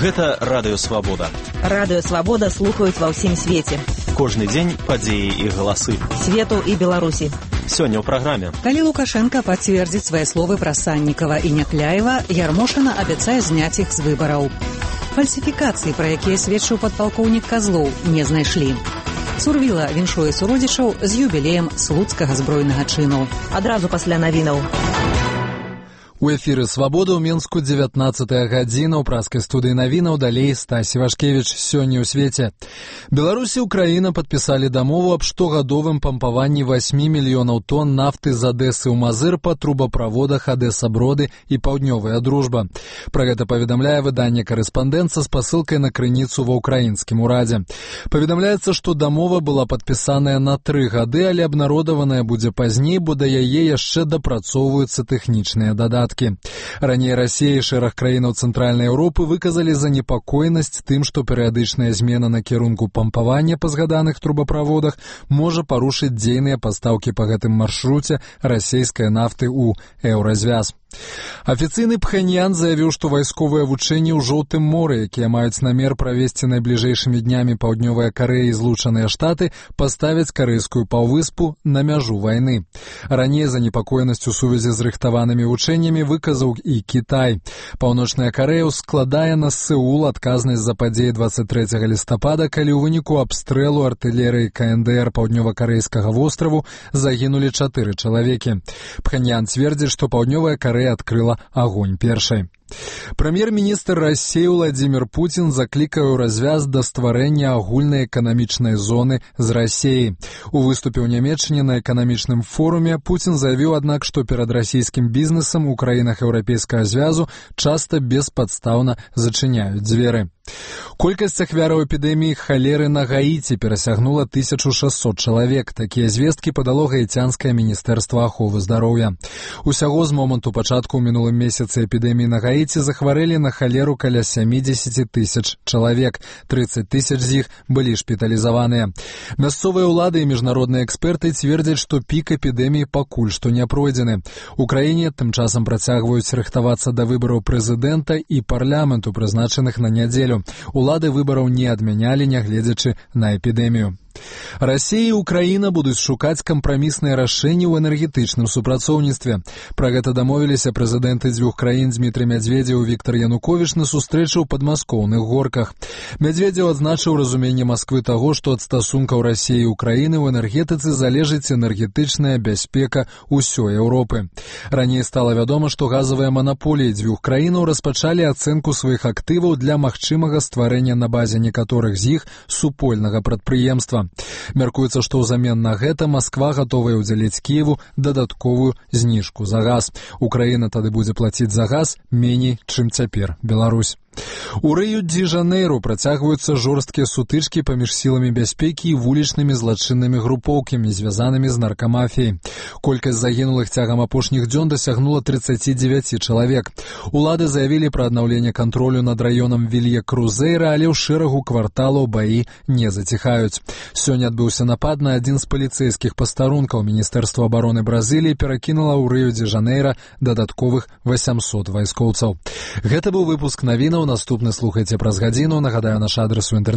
Гэта Радыё Свабода. Радыё Свабода слухаюць ва ўсім свеце. Кожны дзень падзеі і галасы. Свету і Беларусі. Сёння ў праграме. Калі Лукашенко пацвердзіць свае словы пра Саннікава і Някляева, Ярмошына абяцае зняць іх з выбараў. Фальсіфікацыі, пра якія сведчыў падпалкоўнік Казлоў, не знайшлі. Сурвіла віншуе суродзічаў з юбілеем слуцкага збройнага чыну. Адразу пасля навінаў. У эфіры «Свабода» ў Мінску 19 гадзіна. У праскай студыі навінаў далей Стасі Вашкевіч. Сёння ў свеце. Беларусь і Украіна падпісалі дамову аб штогадовым пампаванні 8 мільёнаў тонн нафты з Адэсы ў Мазыр па трубаправодах Адэса-Броды і Паўднёвая Дружба. Пра гэта паведамляе выданне «Карэспандэнца» з пасылкай на крыніцу ва ўкраінскім урадзе. Паведамляецца, што дамова была падпісаная на 3 гады, але абнародаваная будзе пазней, бо да яе яшчэ дапрацоўваюцца тэхнічныя дадаткі. Раней Расія і шэраг краінаў Цэнтральнай Еўропы выказалі занепакоенасць тым, што перыядычная змена накірунку пампавання па згаданых трубаправодах можа парушыць дзейныя пастаўкі па гэтым маршруце расійскай нафты ў еўразвяз. Афіцыйны Пхэньян заявіў, што вайсковыя вучэнні ў Жоўтым моры, якія маюць намер правесці найбліжэйшымі днямі Паўднёвая Карэя і Злучаныя Штаты, паставяць карэйскую паўвыспу на мяжу вайны. Раней занепакоенасць у сувязі з рыхтаванымі вучэннямі выказаў і Кітай. Паўночная Карэя складае на Сеул адказнасць за падзеі 23 лістапада, калі ў выніку абстрэлу артылерыі КНДР паўднёва-карэйскага востраву загінулі 4 чалавекі. Пхэньян цвердзіць, што Паўднёвая Карэя адкрыла агонь першай. Прэм'ер-міністр Расіі Владзімір Пуцін заклікае ў развяз да стварэння агульнай эканамічнай зоны з Расіяй. У выступе ў Нямецчыне на эканамічным форуме Пуцін заявіў, аднак, што перад расійскім бізнесам у краінах еўрапейскага звязу часта беспадстаўна зачыняюць дзверы. Колькасць ахвяраў эпідэміі халеры на Гаіці перасягнула 1600 чалавек. Такія звесткі падало гаіцянскае міністэрства аховы здароўя. Усяго з моманту пачатку ў мінулым месяцы эпідэміі на Гаіці захварэлі на халеру каля 70 тысяч чалавек. 30 тысяч з іх былі шпіталізаваныя. Мясцовыя ўлады і міжнародныя эксперты цвердзяць, што пік эпідэміі пакуль што не пройдзены. У краіне тым часам працягваюць рыхтавацца да выбараў прэзідэнта і парламенту, прызначаных на нядзелю. Улады выбараў не адмянялі, нягледзячы на эпідэмію. Расія і Украіна будуць шукаць кампрамісныя рашэнні ў энергетычным супрацоўніцтве. Пра гэта дамовіліся прэзідэнты дзвюх краін Дзмітрый Мядзведзеў і Віктар Януковіч на сустрэчы ў падмаскоўных горках. Мядзведзеў адзначыў разуменне Масквы таго, што ад стасункаў Расіі і Украіны ў энергетыцы залежыць энергетычная бяспека ўсёй Еўропы. Раней стала вядома, што газавыя манаполіі дзвюх краінаў распачалі ацэнку сваіх актываў для магчымага стварэння на базе некаторых з іх супольнага прадпрыемства. Мяркуецца, што ўзамен на гэта Масква гатовая ўдзяліць Кіеву дадатковую зніжку за газ. Украіна тады будзе плаціць за газ меней, чым цяпер Беларусь. У Рыё-дзе-Жанэйру працягваюцца жорсткія сутычкі паміж сіламі бяспекі і вулічнымі злачыннымі групоўкамі, звязанымі з наркамафіяй. Колькасць загінулых цягам апошніх дзён дасягнула 39 чалавек. Улады заявілі пра аднаўленне кантролю над раёнам Вілья-Крузейра, але ў шэрагу кварталаў баі не заціхаюць. Сёння адбыўся напад на адзін з паліцэйскіх пастарункаў. Міністэрства абароны Бразыліі перакінула ў Рыё-дзе-Жанэйра дадатковых 800 вайскоўцаў. Гэта быў выпуск навінаў. Наступны слухайце праз гадзіну. Нагадаю, наш адрес у інтэрнэце